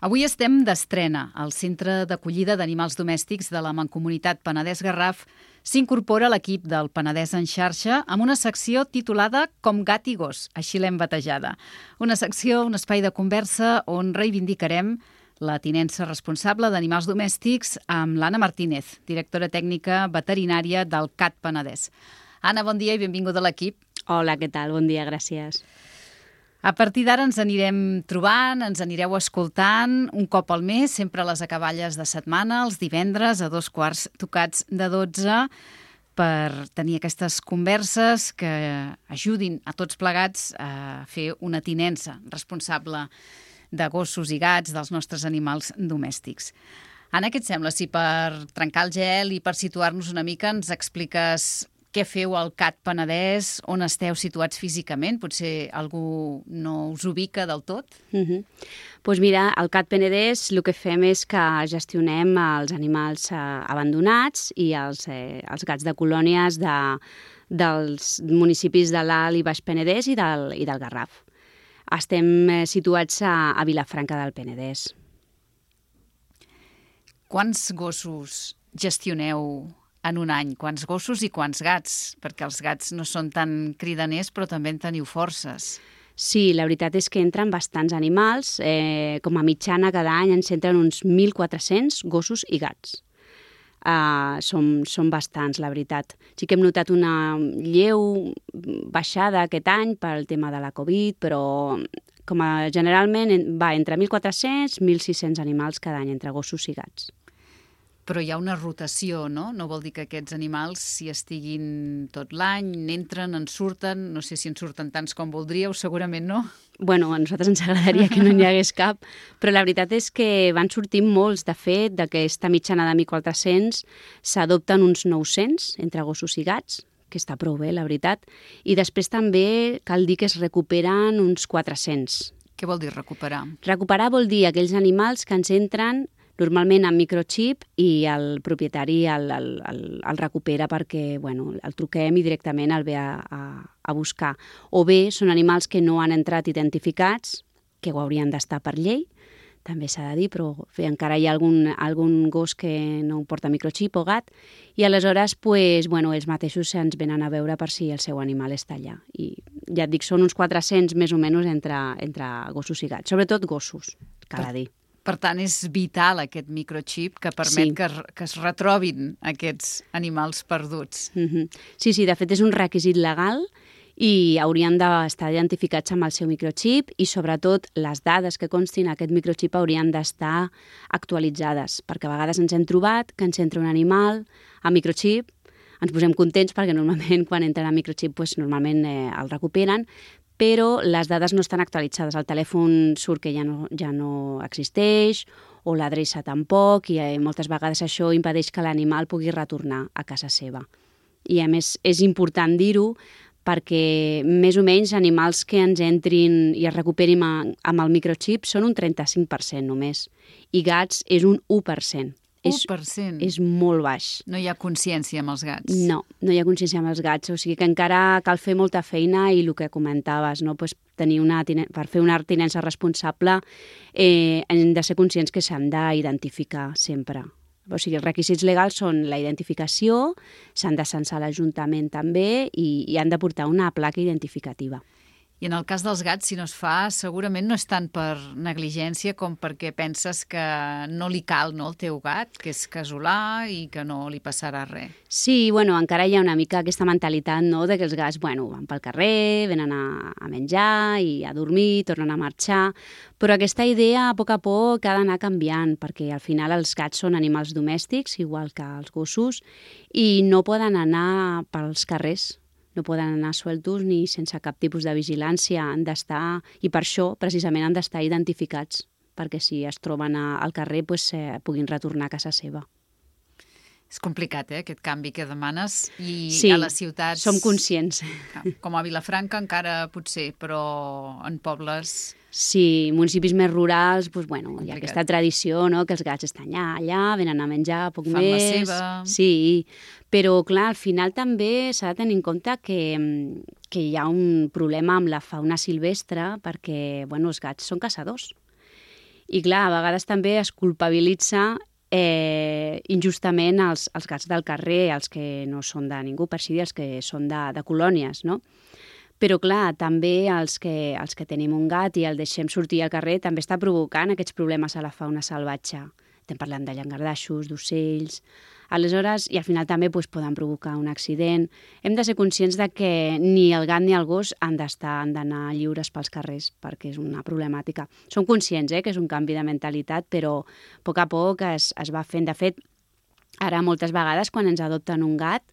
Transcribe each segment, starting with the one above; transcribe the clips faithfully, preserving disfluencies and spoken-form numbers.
Avui estem d'estrena. Al Centre d'Acollida d'Animals Domèstics de la Mancomunitat Penedès-Garraf s'incorpora l'equip del Penedès en xarxa amb una secció titulada Com gat i gos, així l'hem batejada. Una secció, un espai de conversa on reivindicarem la tinença responsable d'animals domèstics amb l'Anna Martínez, directora tècnica veterinària del C A T Penedès. Anna, bon dia i benvinguda a l'equip. Hola, què tal? Bon dia, gràcies. A partir d'ara ens anirem trobant, ens anireu escoltant un cop al mes, sempre a les acaballes de setmana, els divendres a dos quarts tocats de dotze, per tenir aquestes converses que ajudin a tots plegats a fer una tinença responsable de gossos i gats, dels nostres animals domèstics. Anna, què et sembla? Si per trencar el gel i per situar-nos una mica ens expliques què feu al C A T Penedès, on esteu situats físicament? Potser algú no us ubica del tot? Uh -huh. Pues mira, al C A T Penedès el que fem és que gestionem els animals eh, abandonats i els, eh, els gats de colònies de, dels municipis de l'Alt i Baix Penedès i del, i del Garraf. Estem eh, situats a, a Vilafranca del Penedès. Quants gossos gestioneu en un any? Quants gossos i quants gats? Perquè els gats no són tan cridaners, però també en teniu forces. Sí, la veritat és que entren bastants animals. Eh, com a mitjana, cada any ens entren uns mil quatre-cents gossos i gats. Uh, som, són bastants, la veritat. Sí que hem notat una lleu baixada aquest any pel tema de la Covid, però com a generalment va entre mil quatre-cents i mil sis-cents animals cada any entre gossos i gats. Però hi ha una rotació, no? No vol dir que aquests animals s'hi estiguin tot l'any, n'entren, en surten, no sé si en surten tants com voldríeu, segurament no. Bueno, a nosaltres ens agradaria que no n'hi hagués cap, però la veritat és que van sortint molts. De fet, d'aquesta mitjana de mil quatre-cents s'adopten uns nou-cents entre gossos i gats, que està prou bé, la veritat, i després també cal dir que es recuperen uns quatre-cents. Què vol dir recuperar? Recuperar vol dir aquells animals que ens entren normalment amb microxip i el propietari el, el, el, el recupera perquè bueno, el truquem i directament el ve a, a, a buscar. O bé són animals que no han entrat identificats, que ho haurien d'estar per llei, també s'ha de dir, però bé, encara hi ha algun, algun gos que no porta microxip o gat, i aleshores pues, bueno, ells mateixos ens venen a veure per si el seu animal està allà. I ja et dic, són uns quatre-cents més o menys entre, entre gossos i gats, sobretot gossos, cal a dir. Per tant, és vital aquest microxip que permet sí. que, que es retrobin aquests animals perduts. Mm-hmm. Sí, sí, de fet és un requisit legal i haurien d'estar identificats amb el seu microxip i sobretot les dades que constin en aquest microxip haurien d'estar actualitzades, perquè a vegades ens hem trobat que ens entra un animal amb microxip, ens posem contents perquè normalment quan entren amb microxip pues, normalment eh, el recuperen, però les dades no estan actualitzades. El telèfon surt que ja no, ja no existeix o l'adreça tampoc i eh, moltes vegades això impedeix que l'animal pugui retornar a casa seva. I a més és important dir-ho perquè més o menys animals que ens entrin i es recuperin amb el microxip són un trenta-cinc per cent només i gats és un u per cent. u per cent? És, és molt baix. No hi ha consciència amb els gats? No, no hi ha consciència amb els gats. O sigui que encara cal fer molta feina i el que comentaves, no? Pues tenir una, per fer una tinença responsable eh, hem de ser conscients que s'han d'identificar sempre. O sigui, els requisits legals són la identificació, s'han de censar l'Ajuntament també i, i han de portar una placa identificativa. I en el cas dels gats, si no es fa, segurament no és tant per negligència com perquè penses que no li cal, no, al teu gat, que és casolà i que no li passarà res. Sí, bueno, encara hi ha una mica aquesta mentalitat, no?, de que els gats, bueno, van pel carrer, venen a, a menjar i a dormir, tornen a marxar, però aquesta idea a poc a poc ha d'anar canviant, perquè al final els gats són animals domèstics, igual que els gossos, i no poden anar pels carrers. No poden anar sueltos ni sense cap tipus de vigilància, han d'estar, i per això precisament han d'estar identificats, perquè si es troben a, al carrer pues, eh, puguin retornar a casa seva. És complicat, eh, aquest canvi que demanes, i sí, a les ciutats... som conscients. Com a Vilafranca encara potser, però en pobles... Sí, municipis més rurals, doncs, bueno, complicat. Hi ha aquesta tradició, no?, que els gats estan allà, allà, venen a menjar poc Fan més... la seva... Sí, però clar, al final també s'ha de tenir en compte que, que hi ha un problema amb la fauna silvestre perquè, bueno, els gats són caçadors. I clar, a vegades també es culpabilitza eh, injustament els, els gats del carrer, els que no són de ningú, per així dir, els que són de, de colònies, no? Però, clar, també els que, els que tenim un gat i el deixem sortir al carrer també està provocant aquests problemes a la fauna salvatge. Estem parlant de llangardaixos, d'ocells. Aleshores, i al final també doncs, poden provocar un accident. Hem de ser conscients de que ni el gat ni el gos han d'estar, han d'anar lliures pels carrers, perquè és una problemàtica. Som conscients eh, que és un canvi de mentalitat, però a poc a poc es, es va fent. De fet, ara moltes vegades quan ens adopten un gat,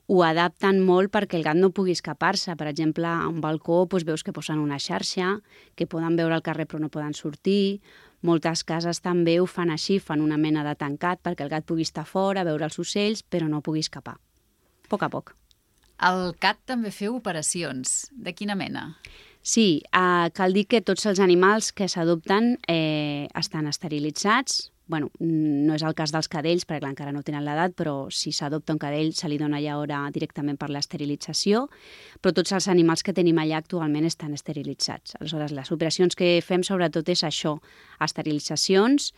ho adapten molt perquè el gat no pugui escapar-se. Per exemple, a un balcó doncs, veus que posen una xarxa, que poden veure al carrer però no poden sortir. Moltes cases també ho fan així, fan una mena de tancat perquè el gat pugui estar fora, veure els ocells, però no pugui escapar. A poc a poc. Al cat també feu operacions. De quina mena? Sí, eh, cal dir que tots els animals que s'adopten eh, estan esterilitzats. Bueno, no és el cas dels cadells, perquè clar, encara no tenen l'edat, però si s'adopta un cadell se li dona ja hora directament per l'esterilització, però tots els animals que tenim allà actualment estan esterilitzats. Aleshores, les operacions que fem sobretot és això, esterilitzacions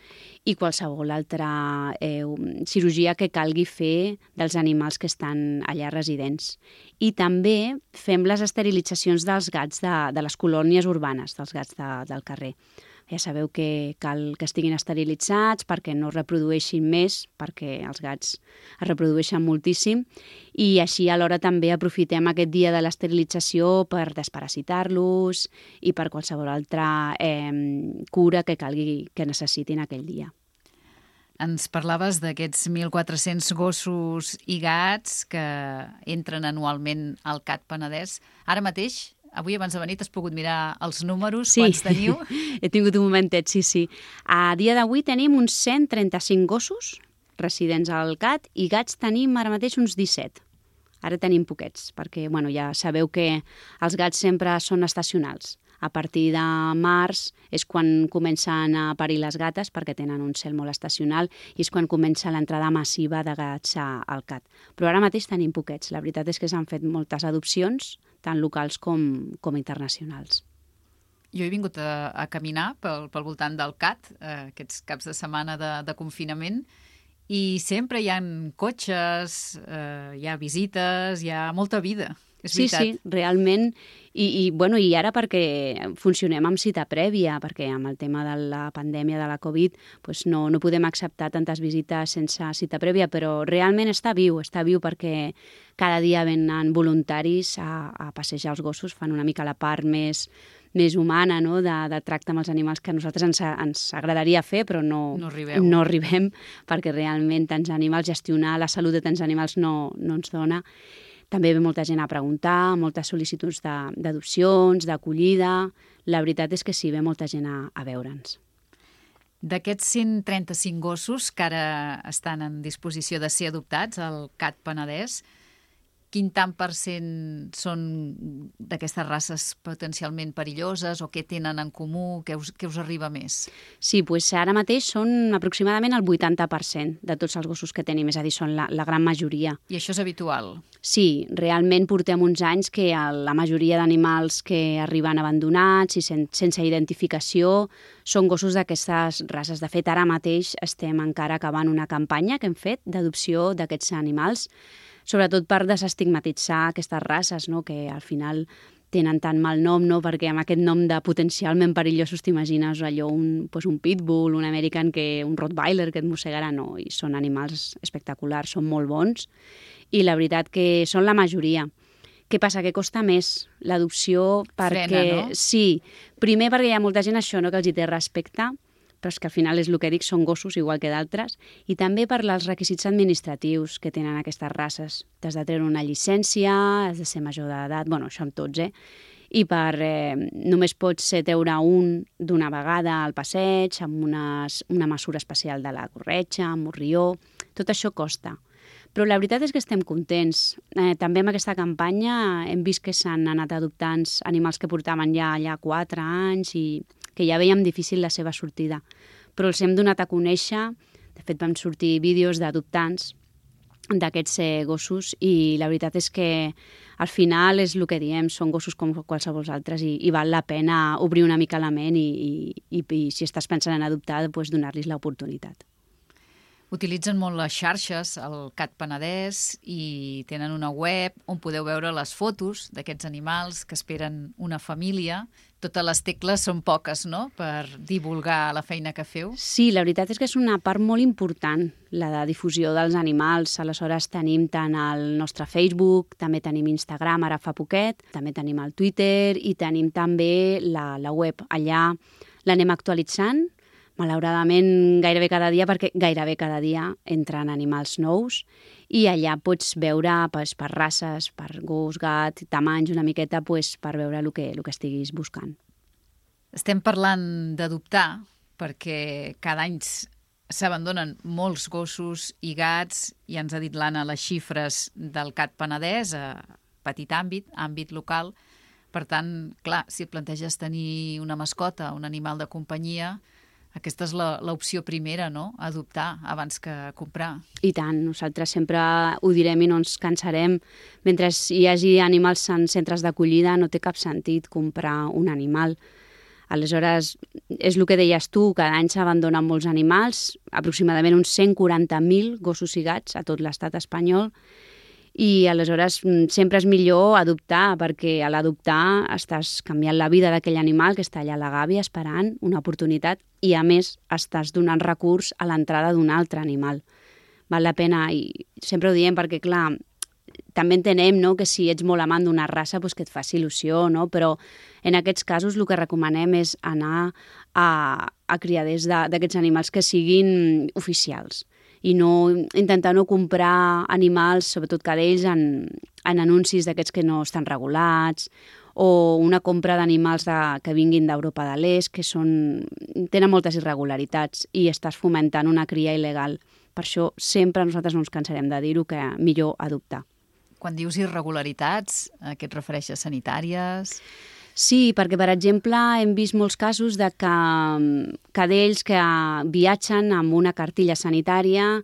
i qualsevol altra eh, cirurgia que calgui fer dels animals que estan allà residents. I també fem les esterilitzacions dels gats de, de les colònies urbanes, dels gats de, del carrer. Ja sabeu que cal que estiguin esterilitzats perquè no reprodueixin més, perquè els gats es reprodueixen moltíssim, i així alhora també aprofitem aquest dia de l'esterilització per desparasitar-los i per qualsevol altra eh, cura que calgui que necessitin aquell dia. Ens parlaves d'aquests mil quatre-cents gossos i gats que entren anualment al C A T Penedès. Ara mateix, avui abans de venir, t'has pogut mirar els números, sí. Quants teniu? He tingut un momentet, sí, sí. A dia d'avui tenim uns cent trenta-cinc gossos residents al C A T i gats tenim ara mateix uns disset. Ara tenim poquets, perquè bueno, ja sabeu que els gats sempre són estacionals. A partir de març és quan comencen a parir les gates, perquè tenen un cel molt estacional, i és quan comença l'entrada massiva de gats al C A T. Però ara mateix tenim poquets. La veritat és que s'han fet moltes adopcions, tant locals com, com internacionals. Jo he vingut a, a caminar pel, pel voltant del C A T, eh, aquests caps de setmana de, de confinament, i sempre hi ha cotxes, eh, hi ha visites, hi ha molta vida. És sí, veritat. sí, realment. I, i, bueno, I ara perquè funcionem amb cita prèvia, perquè amb el tema de la pandèmia de la Covid doncs no, no podem acceptar tantes visites sense cita prèvia, però realment està viu, està viu perquè cada dia venen voluntaris a, a passejar els gossos, fan una mica la part més, més humana, no? de, de tracte amb els animals que a nosaltres ens, ens agradaria fer, però no, no, arribeu. no arribem, perquè realment tants animals, gestionar la salut de tants animals no, no ens dona. També ve molta gent a preguntar, moltes sol·licituds d'adopcions, d'acollida. La veritat és que sí, ve molta gent a, a veure'ns. D'aquests cent trenta-cinc gossos que ara estan en disposició de ser adoptats al C A T Penedès, quin tant per cent són d'aquestes races potencialment perilloses o què tenen en comú, què us, què us arriba més? Sí, doncs ara mateix són aproximadament el vuitanta per cent de tots els gossos que tenim, és a dir, són la, la gran majoria. I això és habitual? Sí, realment portem uns anys que la majoria d'animals que arriben abandonats i sen, sense identificació són gossos d'aquestes races. De fet, ara mateix estem encara acabant una campanya que hem fet d'adopció d'aquests animals, sobretot per desestigmatitzar aquestes races, no? Que al final tenen tan mal nom, no? Perquè amb aquest nom de potencialment perillosos t'imagines allò, un, pues un pitbull, un american, que, un rottweiler que et mossegarà, no, i són animals espectaculars, són molt bons, i la veritat que són la majoria. Què passa? Que costa més l'adopció perquè... Frena, no? Sí, primer perquè hi ha molta gent això, no? Que els hi té respecte, però és que al final és el que dic, són gossos igual que d'altres, i també per als requisits administratius que tenen aquestes races. T'has de treure una llicència, has de ser major d'edat, bueno, això amb tots, eh? I per, eh, només pots treure un d'una vegada al passeig, amb unes, una mesura especial de la corretja, amb morrió, tot això costa. Però la veritat és que estem contents. Eh, també amb aquesta campanya hem vist que s'han anat adoptant animals que portaven ja allà quatre anys i que ja veiem difícil la seva sortida. Però els hem donat a conèixer, de fet van sortir vídeos d'adoptants d'aquests eh, gossos i la veritat és que al final és el que diem, són gossos com qualsevol altres i, i val la pena obrir una mica la ment i, i, i, i si estàs pensant en adoptar, doncs donar-los l'oportunitat. Utilitzen molt les xarxes, el Cat Penedès, i tenen una web on podeu veure les fotos d'aquests animals que esperen una família. Totes les tecles són poques, no?, per divulgar la feina que feu. Sí, la veritat és que és una part molt important, la de difusió dels animals. Aleshores tenim tant el nostre Facebook, també tenim Instagram, ara fa poquet, també tenim el Twitter i tenim també la, la web. Allà l'anem actualitzant, malauradament gairebé cada dia, perquè gairebé cada dia entren animals nous i allà pots veure pues, per races, per gos, gat, tamanys, una miqueta pues, per veure el que, el que estiguis buscant. Estem parlant d'adoptar perquè cada any s'abandonen molts gossos i gats i ens ha dit l'Anna les xifres del Cat Penedès a petit àmbit, àmbit local. Per tant, clar, si et planteges tenir una mascota, un animal de companyia, aquesta és l'opció primera, no?, adoptar abans que comprar. I tant, nosaltres sempre ho direm i no ens cansarem. Mentre hi hagi animals en centres d'acollida no té cap sentit comprar un animal. Aleshores, és el que deies tu, cada any s'abandonen molts animals, aproximadament uns cent quaranta mil gossos i gats a tot l'estat espanyol, i aleshores sempre és millor adoptar, perquè a l'adoptar estàs canviant la vida d'aquell animal que està allà a la gàbia esperant una oportunitat i a més estàs donant recurs a l'entrada d'un altre animal. Val la pena, i sempre ho diem perquè clar, també entenem, no?, que si ets molt amant d'una raça doncs que et faci il·lusió, no? Però en aquests casos el que recomanem és anar a, a criaders d'aquests animals que siguin oficials i no intentar no comprar animals, sobretot cadells, en, en anuncis d'aquests que no estan regulats, o una compra d'animals de, que vinguin d'Europa de l'Est, que són, tenen moltes irregularitats i estàs fomentant una cria il·legal. Per això sempre nosaltres no ens cansarem de dir-ho, que millor adoptar. Quan dius irregularitats, a què et refereixes? Sanitàries? Sí, perquè, per exemple, hem vist molts casos de que cadells que viatgen amb una cartilla sanitària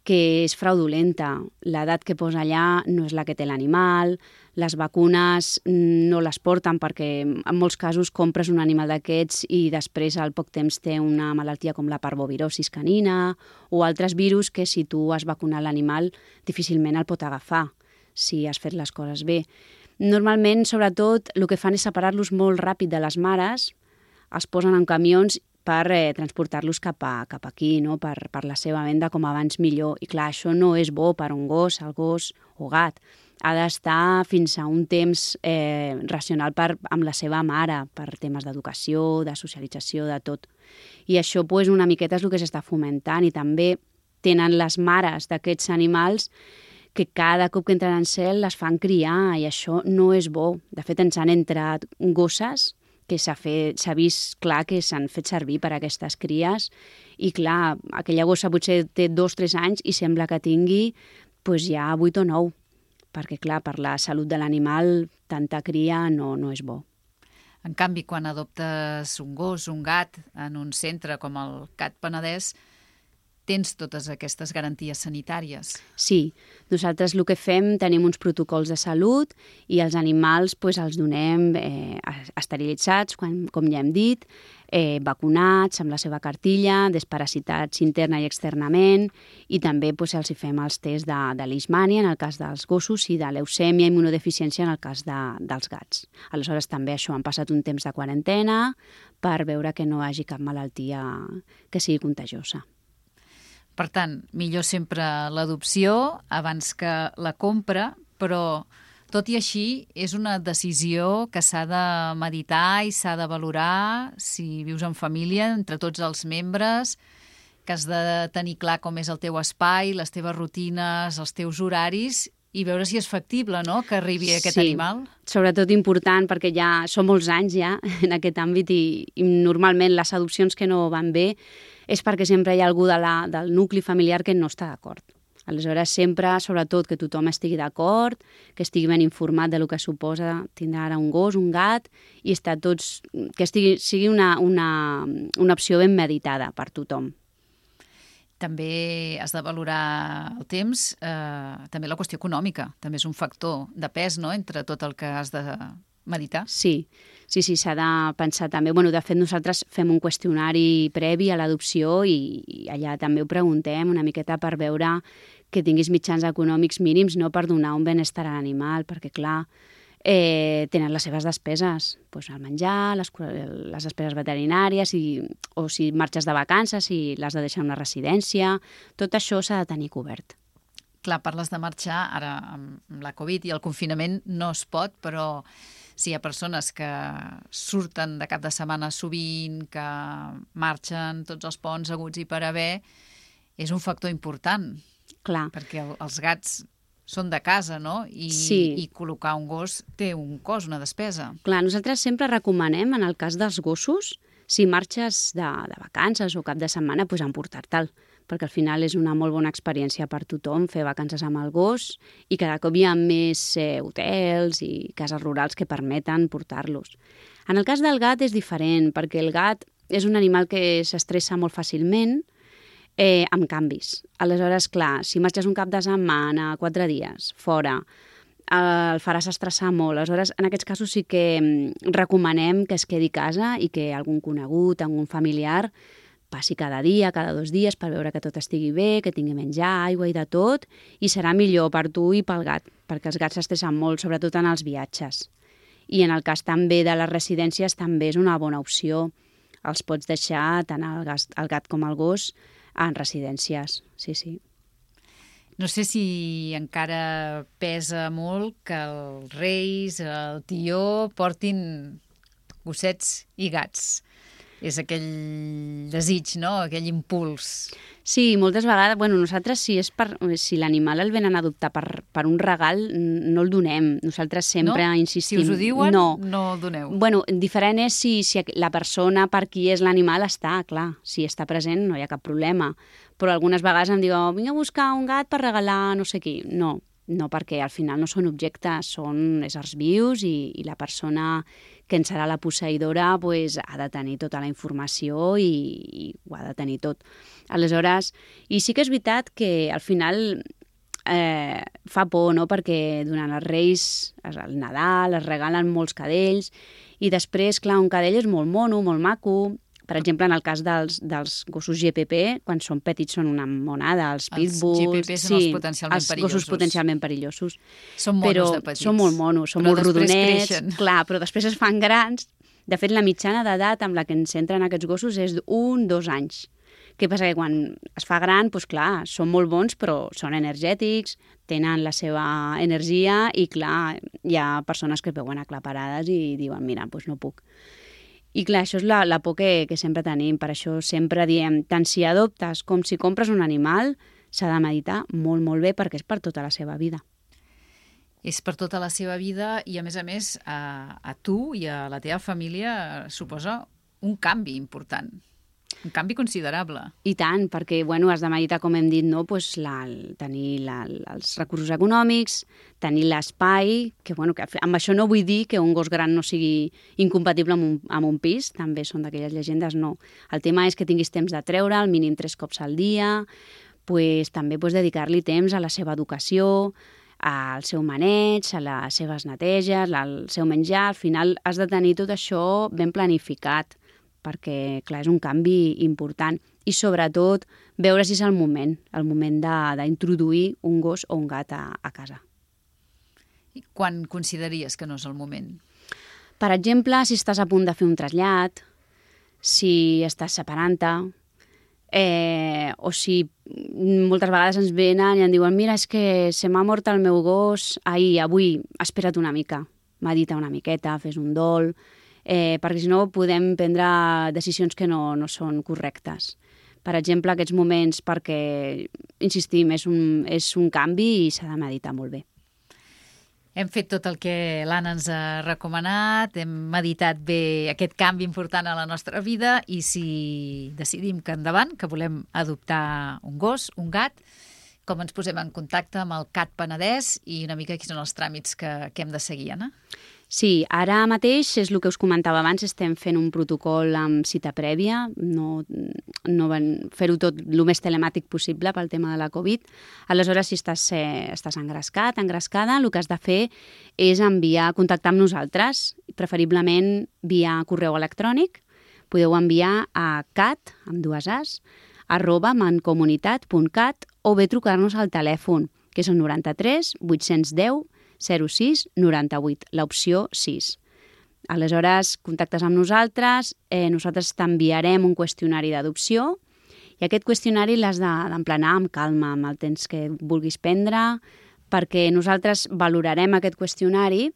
que és fraudulenta. L'edat que posa allà no és la que té l'animal, les vacunes no les porten perquè en molts casos compres un animal d'aquests i després al poc temps té una malaltia com la parvovirosis canina o altres virus que si tu has vacunat l'animal difícilment el pot agafar si has fet les coses bé. Normalment, sobretot, el que fan és separar-los molt ràpid de les mares, els posen en camions per eh, transportar-los cap, a, cap aquí, no? per, per la seva venda com abans millor. I clar, això no és bo per un gos, el gos o gat. Ha d'estar fins a un temps eh, racional per, amb la seva mare, per temes d'educació, de socialització, de tot. I això pues, una miqueta és el que s'està fomentant i també tenen les mares d'aquests animals que cada cop que entren en cel les fan criar i això no és bo. De fet, ens han entrat gosses que s'ha s'ha vist clar que s'han fet servir per a aquestes cries i clar, aquella gossa potser té dos o tres anys i sembla que tingui pues, ja vuit o nou, perquè clar, per la salut de l'animal tanta cria no, no és bo. En canvi, quan adoptes un gos, un gat, en un centre com el Cat Penedès, tens totes aquestes garanties sanitàries. Sí, nosaltres el que fem, tenim uns protocols de salut i els animals pues, els donem eh, esterilitzats, quan, com ja hem dit, eh, vacunats amb la seva cartilla, desparasitats interna i externament i també pues, els hi fem els tests de, de leishmania en el cas dels gossos i de leucèmia i immunodeficiència en el cas de, dels gats. Aleshores també això han passat un temps de quarantena per veure que no hi hagi cap malaltia que sigui contagiosa. Per tant, millor sempre l'adopció abans que la compra, però tot i així és una decisió que s'ha de meditar i s'ha de valorar si vius en família, entre tots els membres, que has de tenir clar com és el teu espai, les teves rutines, els teus horaris i veure si és factible, no?, que arribi aquest sí, animal. Sobretot important perquè ja són molts anys ja en aquest àmbit i, i normalment les adopcions que no van bé és perquè sempre hi ha algú de la, del nucli familiar que no està d'acord. Aleshores, sempre, sobretot, que tothom estigui d'acord, que estigui ben informat de lo que suposa tindre ara un gos, un gat, i estar tots, que estigui, sigui una, una, una opció ben meditada per tothom. també has de valorar el temps, eh, també la qüestió econòmica, també és un factor de pes, no?, entre tot el que has de meditar. Sí, sí, sí, s'ha de pensar també. Bueno, de fet, nosaltres fem un qüestionari previ a l'adopció i, i allà també ho preguntem una miqueta per veure que tinguis mitjans econòmics mínims, no per donar un benestar a l'animal, perquè, clar, eh, tenen les seves despeses, doncs el menjar, les, les despeses veterinàries, i, o si marxes de vacances, si l'has de deixar en una residència, tot això s'ha de tenir cobert. Clar, parles de marxar, ara amb la Covid i el confinament no es pot, però si hi ha persones que surten de cap de setmana sovint, que marxen tots els ponts haguts i per haver, és un factor important. Clar. Perquè els gats són de casa, no? I, sí. I col·locar un gos té un cost, una despesa. Clar, nosaltres sempre recomanem, en el cas dels gossos, si marxes de, de vacances o cap de setmana, doncs emportar-te'l, perquè al final és una molt bona experiència per tothom fer vacances amb el gos i cada cop hi ha més eh, hotels i cases rurals que permeten portar-los. En el cas del gat és diferent, perquè el gat és un animal que s'estressa molt fàcilment, Eh, amb canvis. Aleshores, clar, si marxes un cap de setmana, quatre dies, fora, eh, el faràs estressar molt. Aleshores, en aquests casos sí que recomanem que es quedi a casa i que algun conegut, algun familiar, passi cada dia, cada dos dies, per veure que tot estigui bé, que tingui menjar, aigua i de tot, i serà millor per tu i pel gat, perquè els gats s'estressen molt, sobretot en els viatges. I en el cas també de les residències també és una bona opció. Els pots deixar tant el gat, el gat com el gos en residències, sí, sí. No sé si encara pesa molt que els reis, el tió, portin gossets i gats. És aquell desig, no?, aquell impuls. Sí, moltes vegades, bueno, nosaltres si és per, si l'animal el venen a adoptar per, per un regal, no el donem. Nosaltres sempre no? insistim. Si us ho diuen, no, no el doneu. Bueno, diferent és si, si la persona per qui és l'animal està, clar, si està present no hi ha cap problema. Però algunes vegades em diuen, vinc a buscar un gat per regalar no sé qui. No, no, perquè al final no són objectes, són éssers vius i, i la persona que en serà la posseïdora pues, ha de tenir tota la informació i, i ho ha de tenir tot. Aleshores, i sí que és veritat que al final eh, fa por, no?, perquè durant els Reis, el Nadal, es regalen molts cadells i després, clar, un cadell és molt mono, molt maco. Per exemple, en el cas dels, dels gossos G P P, quan són petits són una monada, els pitbulls... Els G P P són sí, els potencialment els perillosos. Els gossos potencialment perillosos. Són monos però de petits. Són molt monos, són però molt rodonets. Creixen. Clar, però després es fan grans. De fet, la mitjana d'edat amb la que ens entren aquests gossos és un, dos anys. Què passa? Que quan es fa gran, doncs clar, són molt bons, però són energètics, tenen la seva energia i, clar, hi ha persones que es veuen aclaparades i diuen, mira, doncs no puc. I clar, això és la, la por que, que sempre tenim, per això sempre diem, tant si adoptes com si compres un animal, s'ha de meditar molt, molt bé perquè és per tota la seva vida. És per tota la seva vida i, a més a més, a, a tu i a la teva família suposa un canvi important, un canvi considerable. I tant, perquè bueno, has de meditar, com hem dit, no? pues la, tenir la, els recursos econòmics, tenir l'espai, que, bueno, que amb això no vull dir que un gos gran no sigui incompatible amb un, amb un pis, també són d'aquelles llegendes, no. El tema és que tinguis temps de treure, al mínim tres cops al dia, pues, també pues, dedicar-li temps a la seva educació, al seu maneig, a les seves neteges, al seu menjar. Al final has de tenir tot això ben planificat, perquè, clar, és un canvi important. I, sobretot, veure si és el moment, el moment d'introduir un gos o un gat a, a casa. I quan consideraries que no és el moment? Per exemple, si estàs a punt de fer un trasllat, si estàs separant-te, eh, o si moltes vegades ens venen i em diuen mira, és que se m'ha mort el meu gos ahir, avui, espera't una mica, medita una miqueta, fes un dol, eh, perquè si no podem prendre decisions que no, no són correctes. Per exemple, aquests moments, perquè, insistim, és un, és un canvi i s'ha de meditar molt bé. Hem fet tot el que l'Anna ens ha recomanat, hem meditat bé aquest canvi important a la nostra vida i si decidim que endavant, que volem adoptar un gos, un gat, com ens posem en contacte amb el C A T Penedès i una mica quins són els tràmits que, que hem de seguir, Anna? Sí, ara mateix és el que us comentava abans, estem fent un protocol amb cita prèvia, no, no van fer-ho tot el més telemàtic possible pel tema de la Covid. Aleshores, si estàs, eh, estàs engrescat, engrescada, el que has de fer és enviar, contactar amb nosaltres, preferiblement via correu electrònic. Podeu enviar a cat, amb dues as, arroba mancomunitat punt cat o bé trucar-nos al telèfon, que és el noranta-tres vuit-cents deu zero sis noranta-vuit, l'opció sis. Aleshores, contactes amb nosaltres, eh, nosaltres t'enviarem un qüestionari d'adopció i aquest qüestionari l'has d'emplenar amb calma, amb el temps que vulguis prendre, perquè nosaltres valorarem aquest qüestionari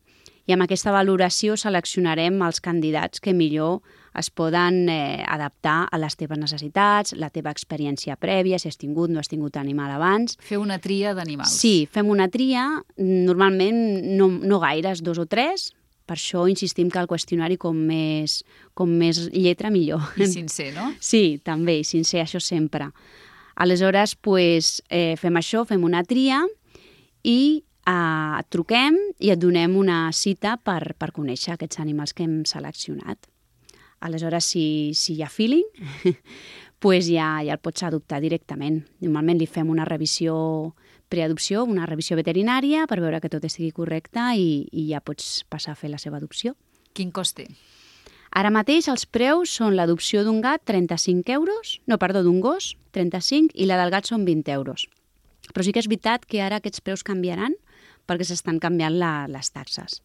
i amb aquesta valoració seleccionarem els candidats que millor es poden eh, adaptar a les teves necessitats, la teva experiència prèvia, si has tingut o no has tingut animal abans. Fer una tria d'animals. Sí, fem una tria, normalment no, no gaires, dos o tres, per això insistim que el qüestionari com més, com més lletra millor. I sincer, no? Sí, també, i sincer, això sempre. Aleshores, pues, eh, fem això, fem una tria i eh, et truquem i et donem una cita per, per conèixer aquests animals que hem seleccionat. Aleshores, si, si hi ha feeling, pues ja, ja el pots adoptar directament. Normalment li fem una revisió preadopció, una revisió veterinària per veure que tot estigui correcte i, i ja pots passar a fer la seva adopció. Quin cost té? Ara mateix els preus són l'adopció d'un gat trenta-cinc euros, no, perdó, d'un gos trenta-cinc i la del gat són vint euros. Però sí que és veritat que ara aquests preus canviaran perquè s'estan canviant la, les taxes.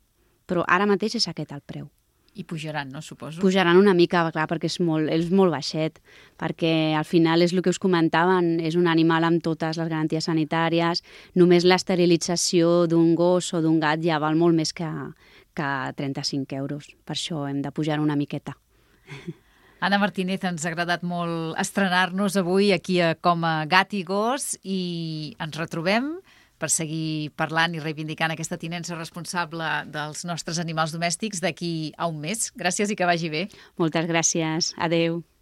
Però ara mateix és aquest el preu. I pujaran, no, suposo? Pujaran una mica, clar, perquè és molt, és molt baixet, perquè al final és el que us comentaven, és un animal amb totes les garanties sanitàries, només l'esterilització d'un gos o d'un gat ja val molt més que, que trenta-cinc euros, per això hem de pujar una miqueta. Anna Martínez, ens ha agradat molt estrenar-nos avui aquí a Com a Gat i Gos i ens retrobem per seguir parlant i reivindicant aquesta tinença responsable dels nostres animals domèstics d'aquí a un mes. Gràcies i que vagi bé. Moltes gràcies. Adeu.